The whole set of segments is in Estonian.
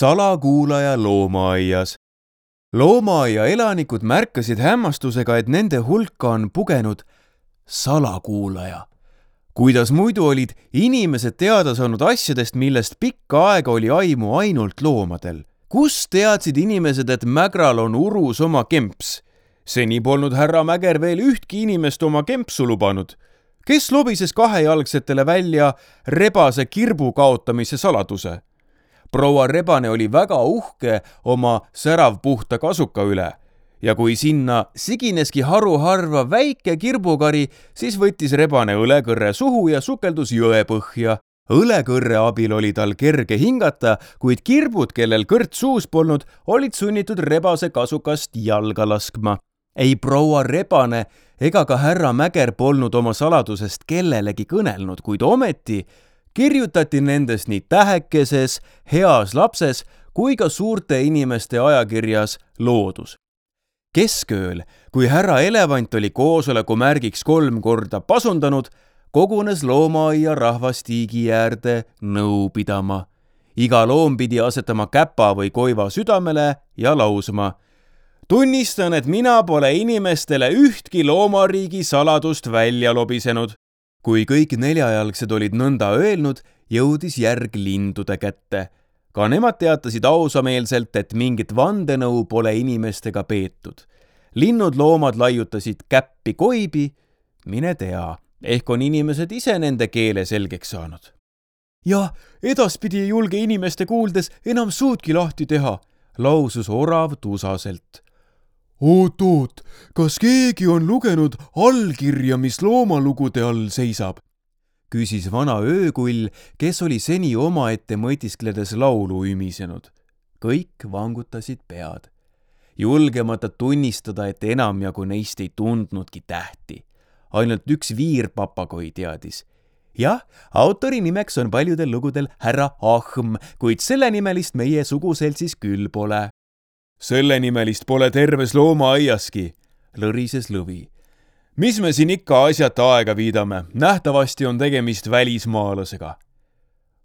Salakuulaja loomaaias. Loomaaia elanikud märkasid hämmastusega, et nende hulka on pugenud salakuulaja. Kuidas muidu olid inimesed teada saanud asjadest, millest pikka aega oli aimu ainult loomadel? Kus teadsid inimesed, et Mägral on urus oma kemps? Seni polnud härra Mäger veel ühtki inimest oma kempsu lubanud. Kes lobises kahejalgsetele välja rebase kirbu kaotamise saladuse? Proua Rebane oli väga uhke oma säravpuhta kasuka üle ja kui sinna sigineski haruharva väike kirbukari, siis võttis Rebane õlekõrre suhu ja sukeldus jõe põhja. Õlekõrre abil oli tal kerge hingata, kuid kirbud, kellel kõrt suus polnud, olid sunnitud rebase kasukast jalga laskma. Ei proua Rebane ega ka härra Mäger polnud oma saladusest kellelegi kõnelnud, kuid ometi kirjutati nendest nii tähekeses, heas lapses kui ka suurte inimeste ajakirjas Loodus. Keskööl, kui härra Elevant oli koosoleku märgiks 3 korda pasundanud, kogunes loomaaia rahvas tiigi äärde nõu pidama. Iga loom pidi asetama käpa või koiva südamele ja lausma: tunnistan, et mina pole inimestele ühtki loomariigi saladust välja lobisenud. Kui kõik 4-jalgsed olid nõnda öelnud, jõudis järg lindude kätte. Ka nemad teatasid ausameelselt, et mingit vandenõu pole inimestega peetud. Linnud loomad laiutasid käppi koibi, mine tea, ehk on inimesed ise nende keele selgeks saanud. Ja edaspidi ei julge inimeste kuuldes enam suudki lahti teha, lausus orav tusaselt. Oot, kas keegi on lugenud allkirja, mis loomalugude all seisab? Küsis vana öökull, kes oli seni omaette mõtiskledes laulu ümisenud. Kõik vangutasid pead. Julgemata tunnistada, et enamjagu neist ei tundnudki tähti. Ainult üks viirpapagoi teadis. Jah, autori nimeks on paljudel lugudel härra Ahm, kuid selle nimelist meie suguseltsis küll pole. Selle nimelist pole terves loomaaiaski, lõrises Lõvi. Mis me siin ikka asjata aega viidame? Nähtavasti on tegemist välismaalasega.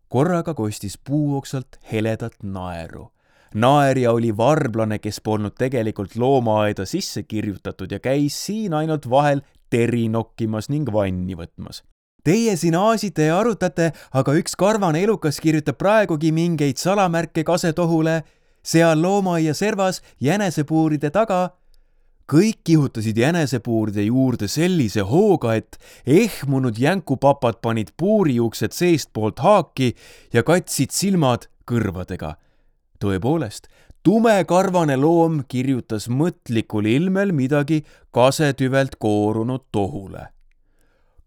Korraga kostis puuoksalt heledat naeru. Naerja oli varblane, kes polnud tegelikult loomaaeda sisse kirjutatud ja käis siin ainult vahel teri nokkimas ning vanni võtmas. Teie siin aasite ja arutate, aga üks karvane elukas kirjutab praegugi mingeid salamärke kasetohule, seal loomaaia servas jänesepuuride taga. Kõik kihutasid jänesepuuride juurde sellise hooga, et ehmunud jänkupapad panid puuriuksed seestpoolt haaki ja katsid silmad kõrvadega. Tõepoolest, tumekarvane loom kirjutas mõtlikul ilmel midagi kasetüvelt koorunud tohule.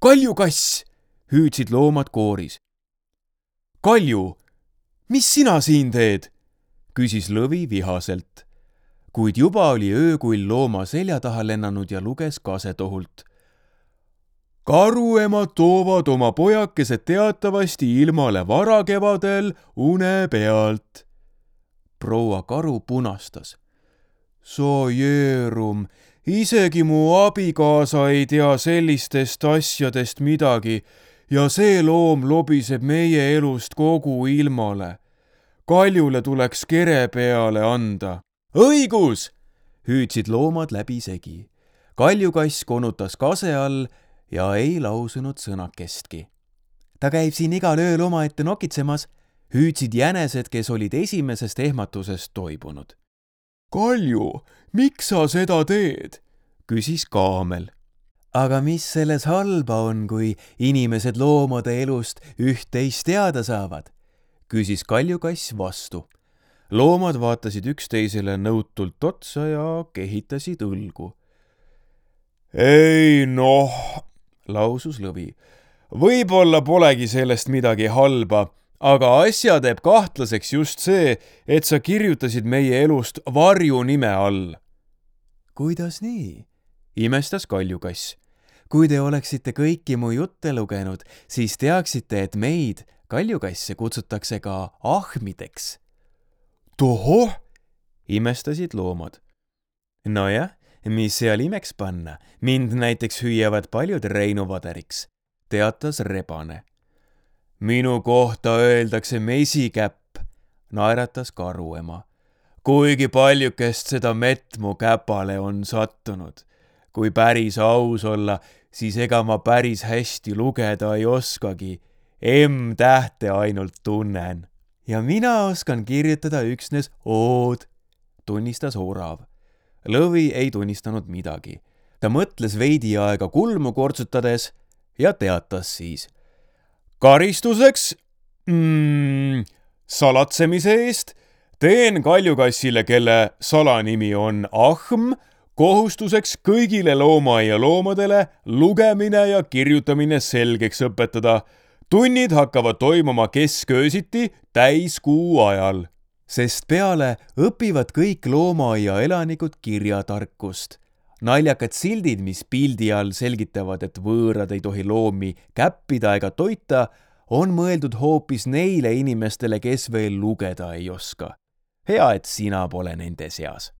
Kaljukass, hüüdsid loomad kooris. Kalju, mis sina siin teed? Küsis Lõvi vihaselt. Kuid juba oli öökull looma selja taha lennanud ja luges kasetohult. Karuemad toovad oma pojakesed teatavasti ilmale varakevadel une pealt. Proua Karu punastas. Sojeerum, isegi mu abikaasa ei tea sellistest asjadest midagi ja see loom lobiseb meie elust kogu ilmale. Kaljule tuleks kere peale anda. Õigus! Hüüdsid loomad läbi segi. Kaljukass konutas kase all ja ei lausunud sõnakestki. Ta käib siin igal ööl omaette nokitsemas, hüüdsid jänesed, kes olid esimesest ehmatusest toibunud. Kalju, miks sa seda teed? Küsis Kaamel. Aga mis selles halba on, kui inimesed loomade elust üht-teist teada saavad? Küsis Kaljukass vastu. Loomad vaatasid üksteisele nõutult otsa ja kehitasid õlgu. Ei noh, lausus Lõvi. Võib-olla polegi sellest midagi halba, aga asja teeb kahtlaseks just see, et sa kirjutasid meie elust varju nime all. Kuidas nii? Imestas Kaljukass. Kui te oleksite kõiki mu jutte lugenud, siis teaksite, et meid, kaljukasse, kutsutakse ka ahmideks. Tohoh, imestasid loomad. Nojah, mis seal imeks panna, mind näiteks hüüavad paljud Reinu vaderiks, teatas Rebane. Minu kohta öeldakse mesikäpp, naeratas karuema. Kuigi paljukest seda mett mu käpale on sattunud. Kui päris aus olla, siis ega ma päris hästi lugeda ei oskagi. M-tähte ainult tunnen. Ja mina oskan kirjutada üksnes ood, tunnistas orav. Lõvi ei tunnistanud midagi. Ta mõtles veidi aega kulmu kortsutades ja teatas siis. Karistuseks salatsemise eest teen kaljukassile, kelle salanimi on Ahm, kohustuseks kõigile loomaaia loomadele lugemine ja kirjutamine selgeks õpetada. Tunnid hakkavad toimuma kesköösiti täiskuu ajal, sest peale õpivad kõik loomaaia elanikud kirjatarkust. Naljakad sildid, mis pildi all selgitavad, et võõrad ei tohi loomi käppida ega toita, on mõeldud hoopis neile inimestele, kes veel lugeda ei oska. Hea, et sina pole nende seas.